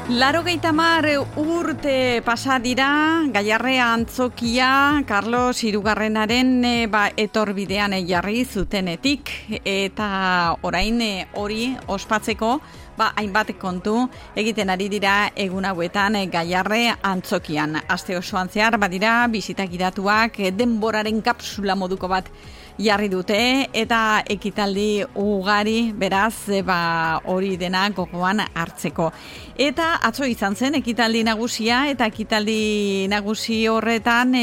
80 urte pasa dira, Gaiarre antzokia Carlos Hirugarrenaren etorbidean jarri zutenetik, eta orain hori ospatzeko hainbat kontu egiten ari dira egun hauetan Gaiarre antzokian. Aste osoan zehar badira bisita gidatuak denboraren kapsula moduko bat jarri dute eta ekitaldi ugari, beraz hori dena gogoan hartzeko. Eta atzo izan zen ekitaldi nagusia, eta ekitaldi nagusi horretan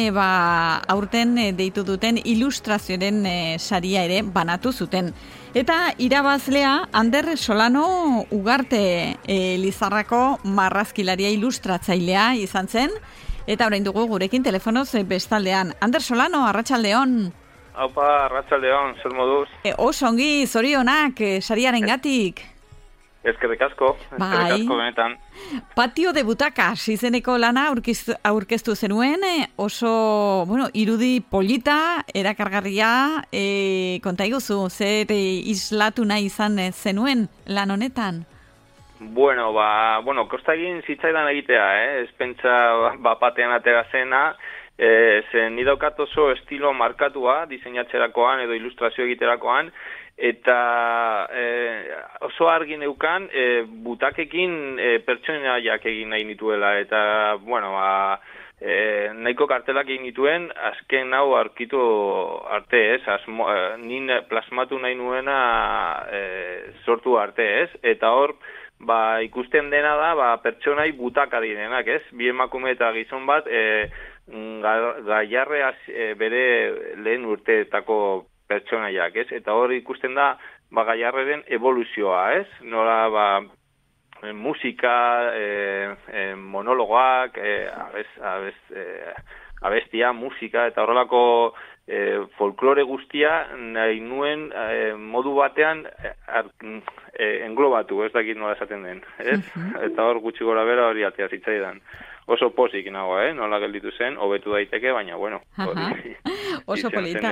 aurten deitu duten ilustrazioaren saria ere banatu zuten. Eta irabazlea Ander Solano Ugarte, Lizarrako marrazkilaria ilustratzailea izan zen, eta orain dugu gurekin telefonoz bestaldean. Ander Solano, arratsaldeon. Aupa, arratsaldeon, zer moduz? Oso ongi, zorionak, sariaren gatik. Eskerrik asko benetan. Patio de butacas izeneko lana aurkeztu zenuen, oso, irudi polita, erakargarria, konta iguzu, zer islatu nahi izan zenuen lan honetan? Kosta egin zitzaidan egitea, ez pentsa batean atera zena, zen nidaukat oso estilo markatua diseinatzerakoan edo ilustrazio egiterakoan, eta oso argi neukan butakekin pertsonaiak egin nahi nituela, eta nahiko kartelak egin nituen azken hau aurkitu arte, ez? Nin plasmatu nahi nuena sortu arte, ez? Eta hor ikusten dena da pertsonai butaka direnak, ez? Bi emakume eta gizon bat Gaiarreaz bere lehen urteetako pertsonaiak, ez? Eta hor ikusten da Gaiarreren evoluzioa, ez? Nola musika, monologoak, abestia, musika, eta horrelako folklore guztia nahi nuen modu batean englobatu, ez dakit nola esaten den, ez? Eta hor gutxi gora bera hori atea zitzaidan. Oso pozik nago, nola gelditu zen, hobetu daiteke, baina, hori oso polita.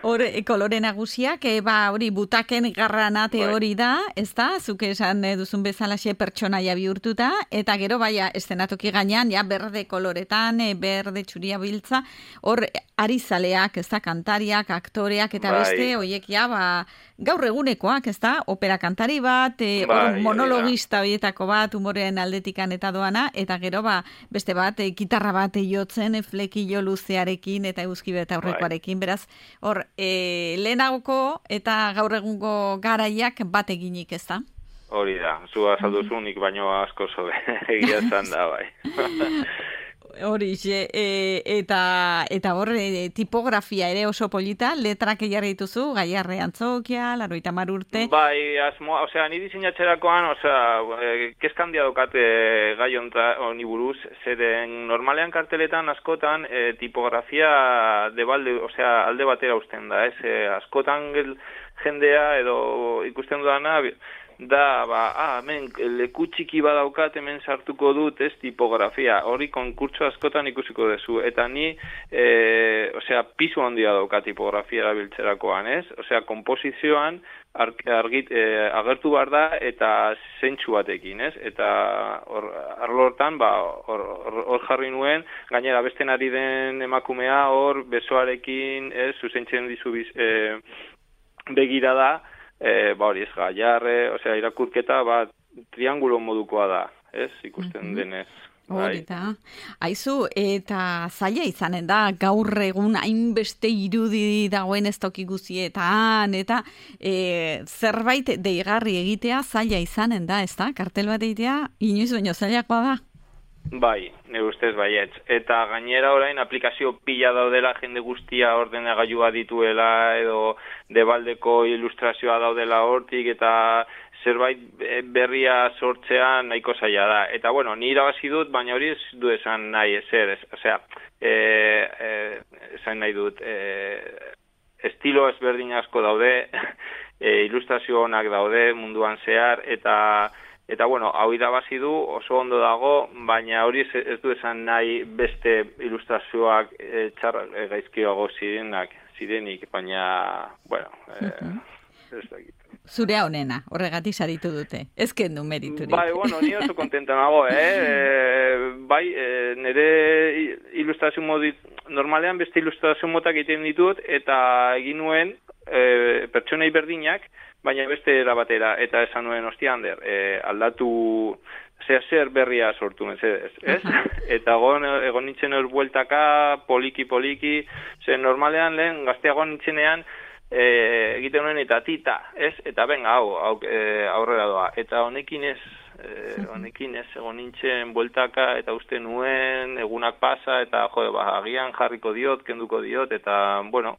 Hor, kolore nagusiak, hori butaken garranate hori da, ez da, zuk esan duzun bezalaxe pertsonaia bihurtuta, eta gero, estenatoki gainean, berde koloretan, berde txuria biltza, hor, arizaleak, ez da, kantariak, aktoreak, eta beste, horiek, gaur egunekoak, ez da, opera kantari bat, monologista horietako bat, humorean aldetikan eta doana, eta gero, beste bat, gitarra bat jotzen, flekillo luzearekin eta eguzki beta aurrekoarekin, beraz, hor, lehenagoko eta gaur egungo garaiak bat eginik, ez da? Hori da, zu azalduzunik baino asko zobe, egia zan da, bai. Horixe, eta hor, tipografia ere oso polita, letrak jarri dituzu, Gaiarre antzokia, 80 urte. Bai, ni diseinatzerakoan, kezka handia dokate gai honi buruz, zeren normalean karteletan askotan tipografia alde batera uzten da, ez? Askotan jendea edo ikusten dudana, da, hemen leku txiki badaukat hemen sartuko dut, ez, tipografia, hori konkurtso askotan ikusiko dezu, eta ni, pisu handia dauka tipografia erabiltzerakoan, ez, komposizioan agertu behar da, eta zentsu batekin, ez, eta arlo hortan, hor jarri nuen, gainera besten ari den emakumea, hor besoarekin, ez, zuzentzen dizu begira da, hori ez, Gaiarre, irakurketa triangulo modukoa da, ez, ikusten denez. Hori da. Aizu, eta zaila izanen da, gaur egun hainbeste irudi dagoen ez toki guzietan, eta zerbait deigarri egitea zaila izanen da, ez da? Kartel bat egitea, inoiz baino zailakoa da. Bai, nire ustez baietz. Eta gainera orain aplikazio pila daudela, jende guztia ordenagailua dituela, edo debaldeko ilustrazioa daudela hortik, eta zerbait berria sortzea nahiko zaila da. Eta ni irabazi dut, baina hori ez du esan nahi ezer. Esan nahi dut, estilo ezberdin asko daude, ilustrazio onak daude munduan zehar, eta hau irabazi du, oso ondo dago, baina hori ez du esan nahi beste ilustrazioak gaizkiago zirenik, baina, ez dakit. zurea honena, horregatik saritu dute. Ez kendu meriturik. Bai, bueno, ni oso kontenta nago, bai, nire ilustrazio modit, normalean beste ilustrazio motak egiten ditut, eta egin nuen pertsonei berdinak, baina beste era batera, eta esan nuen ostia Ander, aldatu zer berria sortu mesedez, ez? Eta egon nintzen hor bueltaka, poliki, normalean lehen gazteago nintzenean, egiten nuen eta tita, ez? Eta benga, aurrera doa. Eta honekin ez egon nintzen bueltaka, eta uste nuen, egunak pasa, eta agian jarriko diot, kenduko diot, eta, bueno,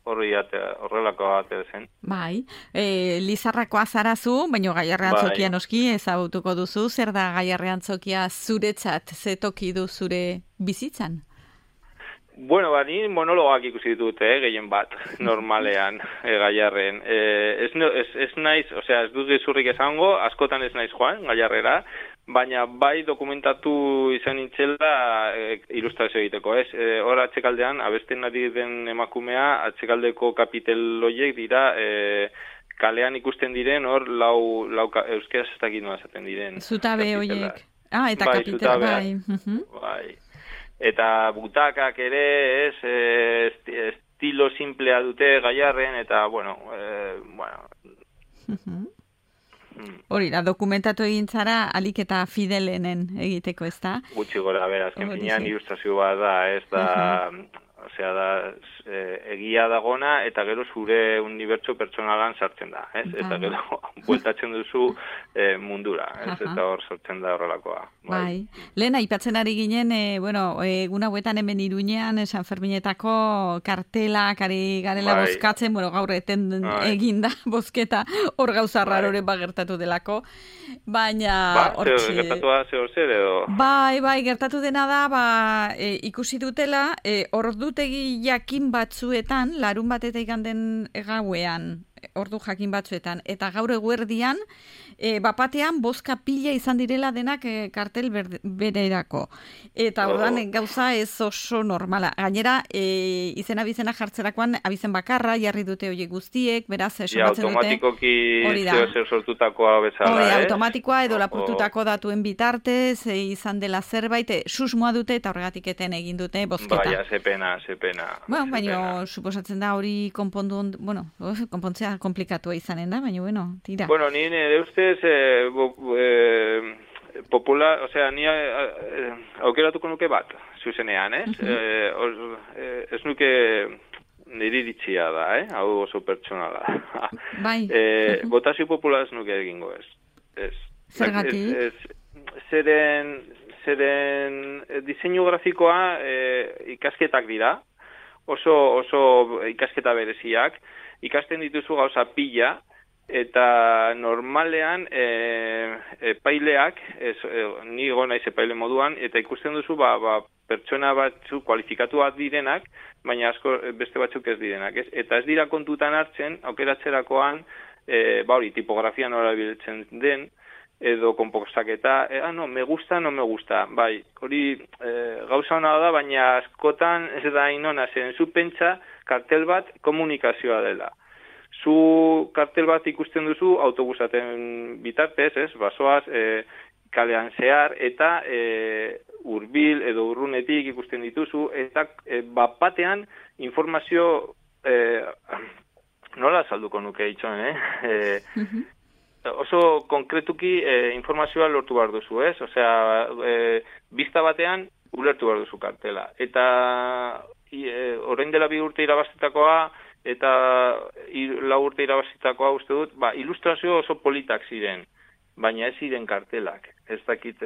horrelako ate zen. Bai, Lizarrakoa zarazu, baina Gaiarre Antzokia noski ezagutuko duzu, zer da Gaiarre Antzokia zuretzat, ze toki du zure bizitzan? Bueno, ni monologoak ikusi ditut, gehien bat, normalean, Gaiarren. Ez naiz, osea, ez dut gezurrik esango, askotan ez naiz joan, Gaiarrera, baina bai dokumentatu izan nintzela ilustrazio egiteko, ez? Hor atxekaldean, abesten ari den emakumea, atxekaldeko kapitel horiek dira, kalean ikusten diren, hor lau euskeraz ez dakit nola esaten diren. Zutabe horiek. Eta bai, kapitel, bai. Bai. Eta butakak ere, estilo simplea dute Gaiarren, eta, bueno. Hori da, dokumentatu egin zara, alik eta fidelenen egiteko, ez da? Gutxi gora, azken finean ilustrazio bat da, ez da, osea da, egia dagona, eta gero zure unibertso pertsonalan sartzen da, ez? Eta gero, bueltatzen duzu mundura, ez? Eta hor sortzen da horrelakoa. Bai. Lehen, aipatzen ari ginen, egun hauetan hemen Iruñean, San Ferminetako kartelak ari garela bozkatzen, gaur eten eginda bozketa, hor gauza raroren bagertatu delako, baina... Gertatu da zer edo? Bai, gertatu dena da, ikusi dutela, ordutegi jakin batzuetan, larun batetik iganden gauean, ordu jakin batzuetan, eta gaur eguerdian, bapatean bozka pila izan direla denak kartel bererako. Eta ordan gauza ez oso normala. Gainera, izena jartzerakoan, abizen bakarra, jarri dute horiek guztiek, beraz, somatzen dute. Automatikoki zer sortutakoa bezala, ez? Automatikoa edo lapurtutako datuen bitartez, izan dela zerbait, susmoa dute eta horregatik eten egin dute bozketa. Baina, ze pena. Baina, suposatzen da hori konpontzea komplikatua izanen da, baina, tira. Bueno, ni nire ustez, popular, osea, ni aukeratuko nuke bat, zuzenean, ez? Ez nuke niri iritzia da, hau oso pertsonala. Bai. Botazio popular ez nuke egingo, ez. Zergatik? Zeren diseinu grafikoa ikasketak dira, oso ikasketa bereziak, ikasten dituzu gauza pila, eta normalean epaileak, ni naiz epaile moduan, eta ikusten duzu pertsona batzu kualifikatuak direnak, baina asko beste batzuk ez direnak. Eta ez dira kontutan hartzen, aukeratzerakoan, tipografia nora biltzen den, edo konpostaketa, no, me gusta, no me gusta. Bai, hori gauza hona da, baina askotan ez da inona, zen zu pentsa kartel bat komunikazioa dela. Zu kartel bat ikusten duzu autobusaten bitartez, basoaz, kalean zehar, eta hurbil edo urrunetik ikusten dituzu, eta batean informazio, nola salduko nuke itxon, oso konkretuki informazioa lortu behar duzu, ez? Osea, bizta batean ulertu behar duzu kartela. Eta orain dela 2 urte irabazitakoa, eta 4 urte irabazitakoa uste dut, ilustrazio oso politak ziren, baina ez ziren kartelak. Ez dakit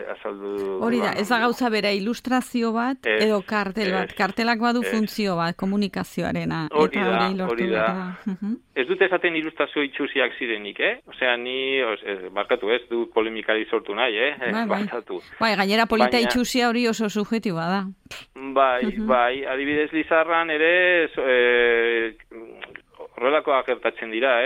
azaldu... Hori da, ez da gauza bera ilustrazio bat edo kartel bat. Kartelak badu funtzio bat, komunikazioarena. Hori da. Ez dut esaten ilustrazio itxusiak zirenik, Osea, ni, barkatu ez, du polemikari sortu nahi, barkatu. Gainera polita itxusia hori oso subjetiboa da. Bai, adibidez Lizarran ere horrelakoak gertatzen dira,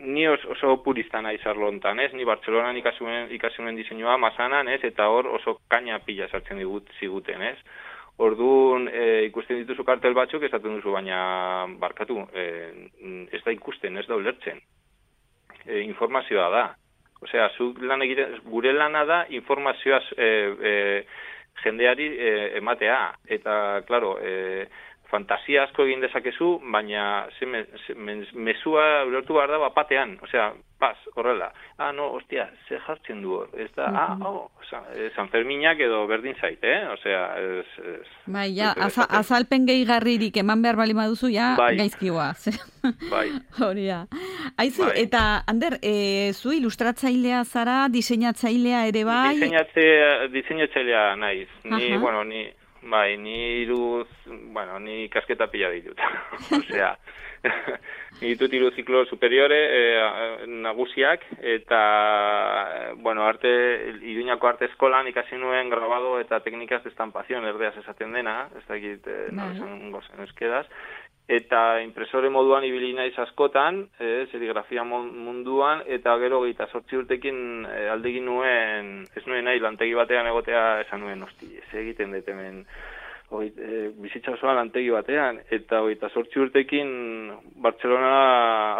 ni oso purista naiz arlo hontan, ni Bartzelonan ikasi nuen diseinua Masanan, eta hor oso kaina pila sartzen ziguten, Orduan, ikusten dituzu kartel batzuk, esaten duzu, baina barkatu, ez da ikusten, ez da ulertzen. Informazioa da. Osea, gure lana da informazioa jendeari ematea. Eta, klaro, fantasia asko egin dezakezu, baina mezua ulertu behar da bapatean. Osea, horrela. No, ostia, ze jartzen du hor. Ez da, San Ferminak edo berdin zait, Osea, ez... Bai, azalpen gehigarririk eman behar bali maduzu, gaizkioa. Bai. Hori da. Aizu, eta, Ander, zu ilustratzailea zara, diseinatzailea ere bai? Diseinatzailea naiz. Ni kasketa pila ditut. Osea, ditut 3 ziklo superiore nagusiak, eta, Iruñako arte eskolan ikasi nuen grabado eta teknikaz de estampazion, erdeaz esaten dena, ez dakit, esan gozen euskeraz, eta impresore moduan ibili naiz askotan, serigrafia munduan, eta gero 28 urtekin aldegin nuen, ez nuen nahi lantegi batean egotea, esan nuen, ez egiten dut hemen bizitza osoan lantegi batean, eta 28 urtekin Bartzelona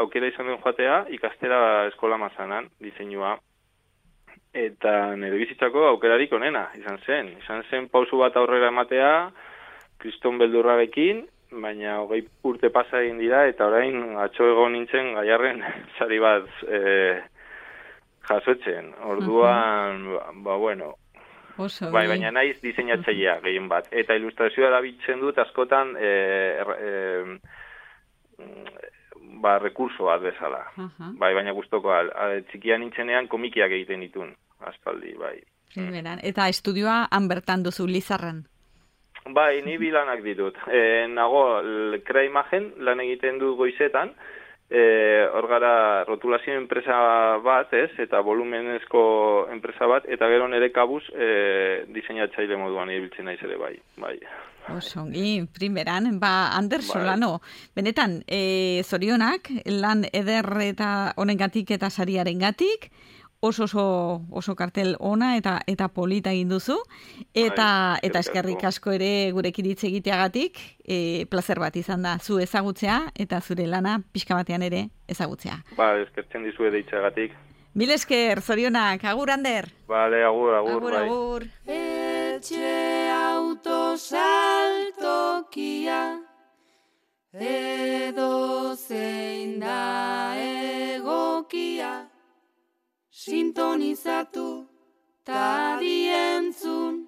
aukera izan duen joatea, ikastera eskola mazanan, diseinua, eta nire bizitzako aukerarik onena, izan zen pausu bat aurrera ematea, kriston beldurrarekin, baina 20 urte pasa egin dira, eta orain atzo egon nintzen Gaiarren sari bat jasotzen. Orduan, baina naiz diseinatzailea gehien bat. Eta ilustrazioa erabiltzen dut askotan rekurso bat bezala. Baina guztoko, txikia nintzenean komikiak egiten ditun, aspaldi, bai. Eta estudioa han bertan duzu Lizarran? Bai, ni bilanak ditut. Nago, Krea Imagen lan egiten du goizetan, hor gara rotulazio enpresa bat, eta volumenezko enpresa bat, eta gero nire kabuz diseinatzaile moduan ibiltzen naiz ere bai. Osongi, primeran, Ander Solano, benetan, zorionak, lan eder eta honengatik eta sariarengatik, oso kartel ona eta polita egin duzu, eta eskerrik asko ere gurekin hitz egiteagatik, plazer bat izan da, zu ezagutzea, eta zure lana pixka batean ere ezagutzea. Eskertzen dizue deitzeagatik. Mil esker, zorionak, agur, Ander. Bale, agur, bai. Agur. Etxe autosaltokia, edo zein da egokia, sintonizatu ta dientzun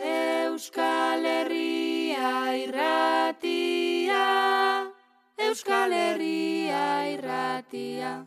Euskal Herria irratia, Euskal Herria irratia.